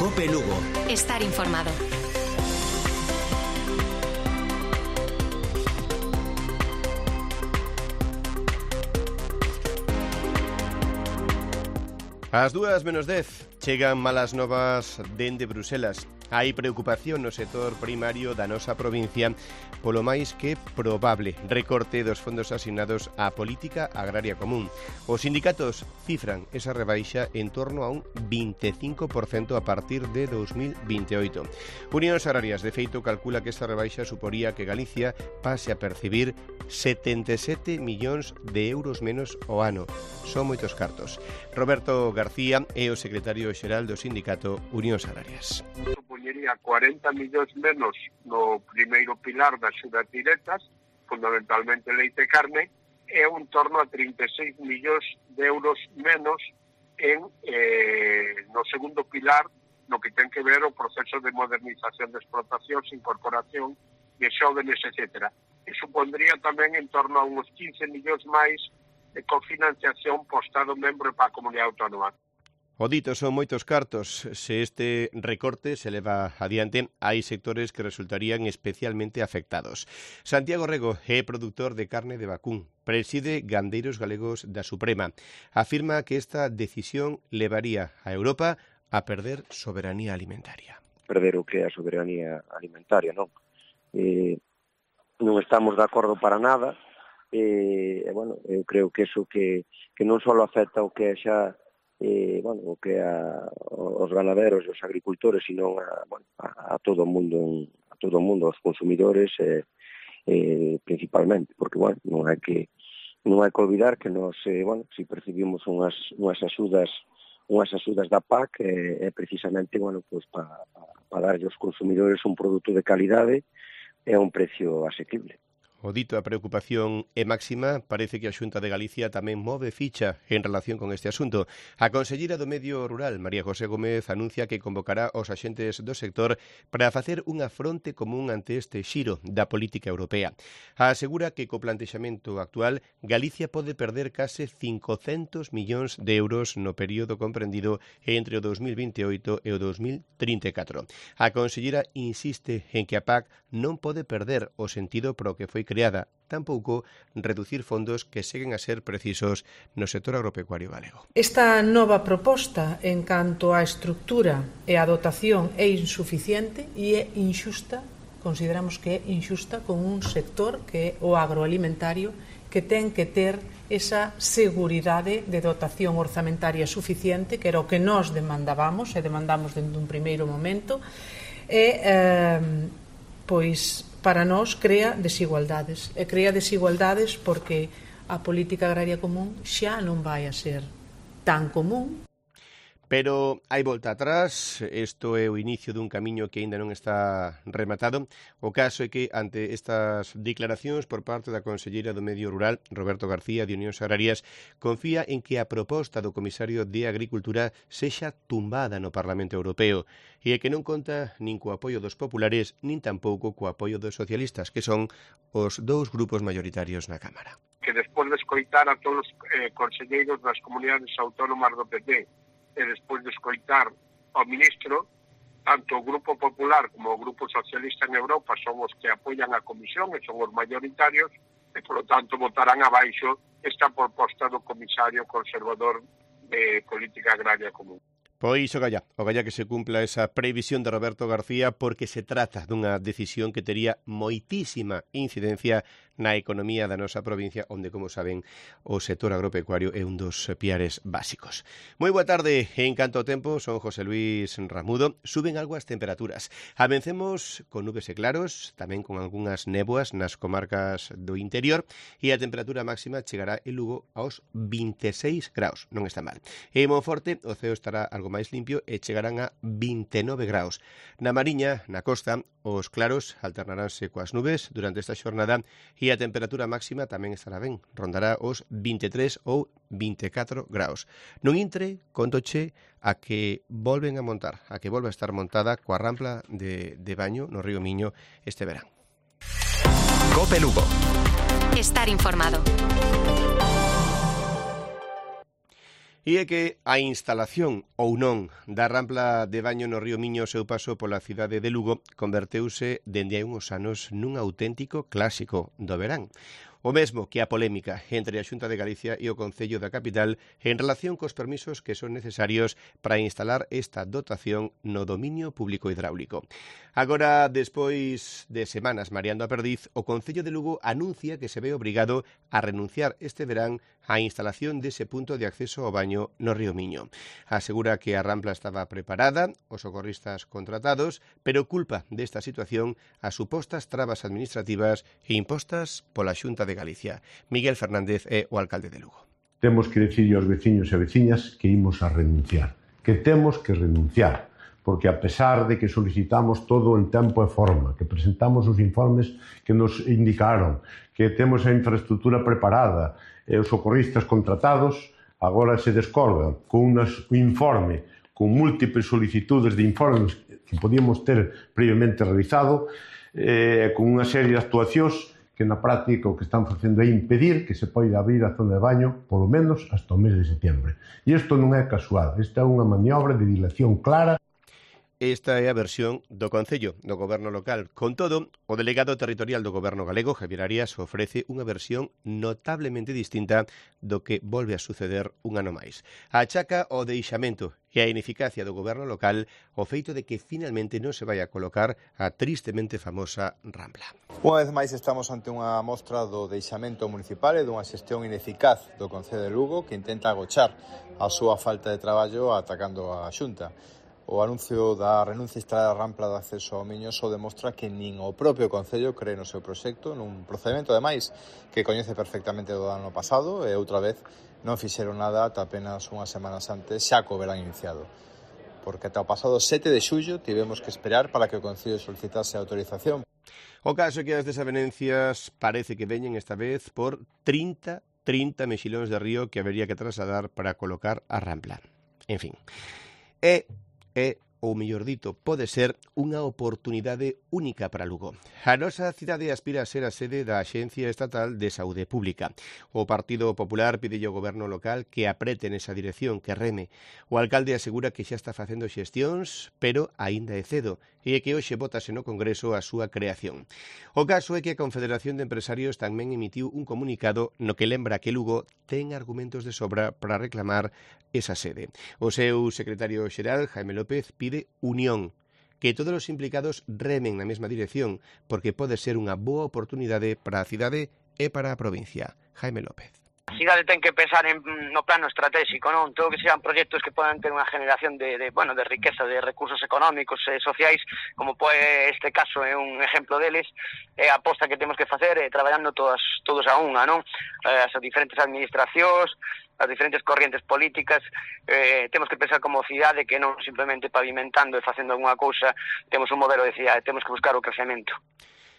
COPE Lugo. Estar informado. Ás 2:10 chegan malas novas dende Bruselas. Hai preocupación no sector primario da nosa provincia polo máis que probable recorte dos fondos asignados á política agraria común. Os sindicatos cifran esa rebaixa en torno a un 25% a partir de 2028. Unións Agrarias, de feito, calcula que esta rebaixa suporía que Galicia pase a percibir 77 millóns de euros menos ao ano. Son moitos cartos. Roberto García é o secretario xeral do sindicato Unións Agrarias. Supoñería 40 millóns menos no primeiro pilar das axudas directas, fundamentalmente leite e carne, e un torno a 36 millóns de euros menos no segundo pilar, no que ten que ver o proceso de modernización de explotacións, incorporación de xóvenes, etc. E supondría tamén en torno a uns 15 millóns máis de cofinanciación po Estado membro e pa a Comunidade Autónoma. O dito, son moitos cartos. Se este recorte se leva adiante, hai sectores que resultarían especialmente afectados. Santiago Rego é produtor de carne de vacún. Preside Gandeiros Galegos da Suprema. Afirma que esta decisión levaría a Europa a perder soberanía alimentaria. Perder o que é a soberanía alimentaria, non? Non estamos de acordo para nada. Bueno, eu creo que eso que non só afecta o que é xa o que aos ganaderos e os agricultores, sino a todo o mundo, aos consumidores principalmente, porque non hai que olvidar que nós si percibimos unhas axudas da PAC é precisamente para darlle aos consumidores un produto de calidade e a un precio asequible. O dito, a preocupación é máxima. Parece que a Xunta de Galicia tamén move ficha en relación con este asunto. A conselleira do Medio Rural, María José Gómez, anuncia que convocará aos axentes do sector para facer unha fronte común ante este xiro da política europea. Asegura que co plantexamento actual Galicia pode perder case 500 millóns de euros no período comprendido entre o 2028 e o 2034. A conselleira insiste en que a PAC non pode perder o sentido para o que foi creada, tampouco reducir fondos que seguen a ser precisos no sector agropecuario galego. Esta nova proposta en canto á estructura e a dotación é insuficiente e é inxusta, consideramos que é inxusta con un sector que é o agroalimentario, que ten que ter esa seguridade de dotación orzamentaria suficiente, que era o que nós demandábamos e demandamos dende un primeiro momento, e para nós crea desigualdades. E crea desigualdades porque a política agraria común xa non vai a ser tan común. Pero hai volta atrás, isto é o inicio dun camiño que aínda non está rematado. O caso é que, ante estas declaracións por parte da conselleira do Medio Rural, Roberto García, de Unións Agrarias, confía en que a proposta do comisario de Agricultura sexa tumbada no Parlamento Europeo e que non conta nin co apoio dos populares, nin tampouco co apoio dos socialistas, que son os dous grupos mayoritarios na Cámara. Que despois de escoitar a todos os conselleiros das comunidades autónomas do PP, e despois de escoitar ao ministro, tanto o Grupo Popular como o Grupo Socialista en Europa son os que apoian a Comisión e son os mayoritarios e, polo tanto, votarán abaixo esta proposta do comisario conservador de Política Agraria Común. Pois o galla que se cumpla esa previsión de Roberto García, porque se trata dunha decisión que tería moitísima incidencia na economía da nosa provincia, onde, como saben, o sector agropecuario é un dos piares básicos. Moi boa tarde. En canto ao tempo, son José Luis Ramudo. Suben algo as temperaturas. Amencemos con nubes e claros, tamén con algunhas néboas nas comarcas do interior, e a temperatura máxima chegará en Lugo aos 26 graus. Non está mal. En Monforte, o ceo estará algo máis limpio e chegarán a 29 graus. Na Mariña, na costa, os claros alternaránse coas nubes durante esta xornada e a temperatura máxima tamén estará ben, rondará os 23 ou 24 graus. Non intre, contoche a que volven a montar, a que volva a estar montada coa rampla de baño no río Miño este verán. COPE Lugo. Estar informado. E é que a instalación ou non da rampla de baño no río Miño ao seu paso pola cidade de Lugo converteuse dende hai uns anos nun auténtico clásico do verán. O mesmo que a polémica entre a Xunta de Galicia e o Concello da capital en relación cos permisos que son necesarios para instalar esta dotación no dominio público hidráulico. Agora, despois de semanas mareando a perdiz, o Concello de Lugo anuncia que se ve obrigado a renunciar este verán á instalación dese punto de acceso ao baño no río Miño. Asegura que a rampla estaba preparada, os socorristas contratados, pero culpa desta situación as supostas trabas administrativas e impostas pola Xunta de Galicia. Miguel Fernández é o alcalde de Lugo. Temos que dicirlle aos veciños e veciñas que imos a renunciar, que temos que renunciar, porque a pesar de que solicitamos todo en tempo e forma, que presentamos os informes que nos indicaron, que temos a infraestructura preparada e os socorristas contratados, agora se descordan con un informe, con múltiples solicitudes de informes que podíamos ter previamente realizado, con unha serie de actuacións que na práctica o que están facendo é impedir que se poida abrir a zona de baño polo menos hasta o mes de setembro. E isto non é casual, esta é unha maniobra de dilación clara. Esta é a versión do Concello, do Goberno local. Con todo, o delegado territorial do Goberno galego, Javier Arias, ofrece unha versión notablemente distinta do que volve a suceder un ano máis. Achaca o deixamento e a ineficacia do Goberno local o feito de que finalmente non se vai a colocar a tristemente famosa rampla. Unha vez máis estamos ante unha mostra do deixamento municipal e dunha xestión ineficaz do Concello de Lugo que intenta agochar a súa falta de traballo atacando a Xunta. O anuncio da renuncia a instalar a rampla de acceso ao Miño só demostra que nin o propio Concello cree no seu proxecto, nun procedimento, ademais, que coñece perfectamente do ano pasado e outra vez non fixeron nada ata apenas unhas semanas antes, xa co verán iniciado. Porque ata o pasado 7 de xullo tivemos que esperar para que o Concello solicitase a autorización. O caso é que as desavenencias parece que veñen esta vez por 30 mexilóns de río que habería que trasladar para colocar a rampla. En fin, ou mellor dito, pode ser unha oportunidade única para Lugo. A nosa cidade aspira a ser a sede da Axencia Estatal de Saúde Pública. O Partido Popular pide ao Goberno local que aprete nesa dirección, que reme. O alcalde asegura que xa está facendo xestións, pero aínda é cedo, e que hoxe vótase no Congreso a súa creación. O caso é que a Confederación de Empresarios tamén emitiu un comunicado no que lembra que Lugo ten argumentos de sobra para reclamar esa sede. O seu secretario xeral, Jaime López, pide unión, que todos os implicados remen na mesma dirección, porque pode ser unha boa oportunidade para a cidade e para a provincia. Jaime López. A cidade ten que pensar no plano estratégico, non? Todo que sean proxectos que podan ter unha generación de riqueza, de recursos económicos e sociais, como este caso é un exemplo deles, é a aposta que temos que facer traballando todos a unha, non? As diferentes administracións, as diferentes corrientes políticas, temos que pensar como cidade que non simplemente pavimentando e facendo algunha cousa, temos un modelo de cidade, temos que buscar o crecemento.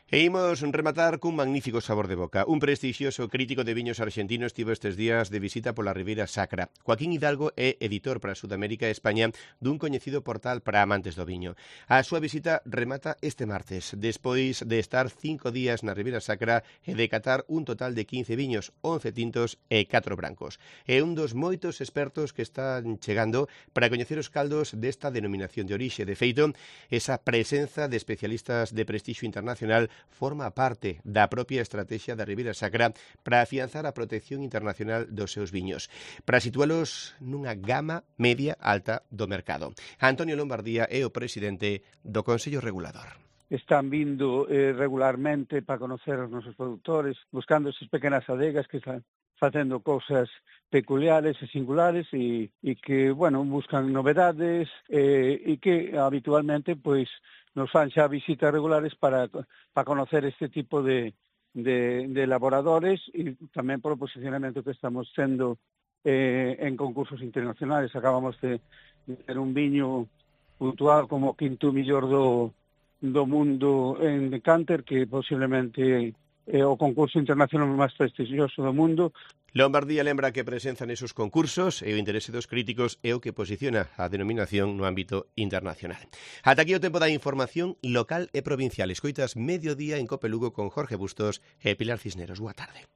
E imos rematar cun magnífico sabor de boca. Un prestixioso crítico de viños argentinos estivo estes días de visita pola Ribeira Sacra. Joaquín Hidalgo é editor para Sudamérica e España dun coñecido portal para amantes do viño. A súa visita remata este martes, despois de estar 5 días na Ribeira Sacra e de catar un total de 15 viños, 11 tintos e 4 brancos. É un dos moitos expertos que están chegando para coñecer os caldos desta denominación de orixe. De feito, esa presenza de especialistas de prestixio internacional forma parte da propia estrategia da Ribeira Sacra para afianzar a protección internacional dos seus viños, para situalos nunha gama media alta do mercado. Antonio Lombardía é o presidente do Consello Regulador. Están vindo regularmente para conocer os nosos produtores, buscando esas pequenas adegas que están facendo cousas peculiares e singulares e que, buscan novedades e que habitualmente, nos fan xa visitas regulares para conocer este tipo de elaboradores e tamén por o posicionamento que estamos tendo en concursos internacionales. Acabamos de ter un viño puntual como o quinto millor do mundo en Decanter, que posiblemente é o concurso internacional máis prestixioso do mundo. Lombardía lembra que a presenza nesos concursos e o interese dos críticos é o que posiciona a denominación no ámbito internacional. Ata aquí o tempo da información local e provincial. Escoitas Mediodía en Cope Lugo con Jorge Bustos e Pilar Cisneros. Boa tarde.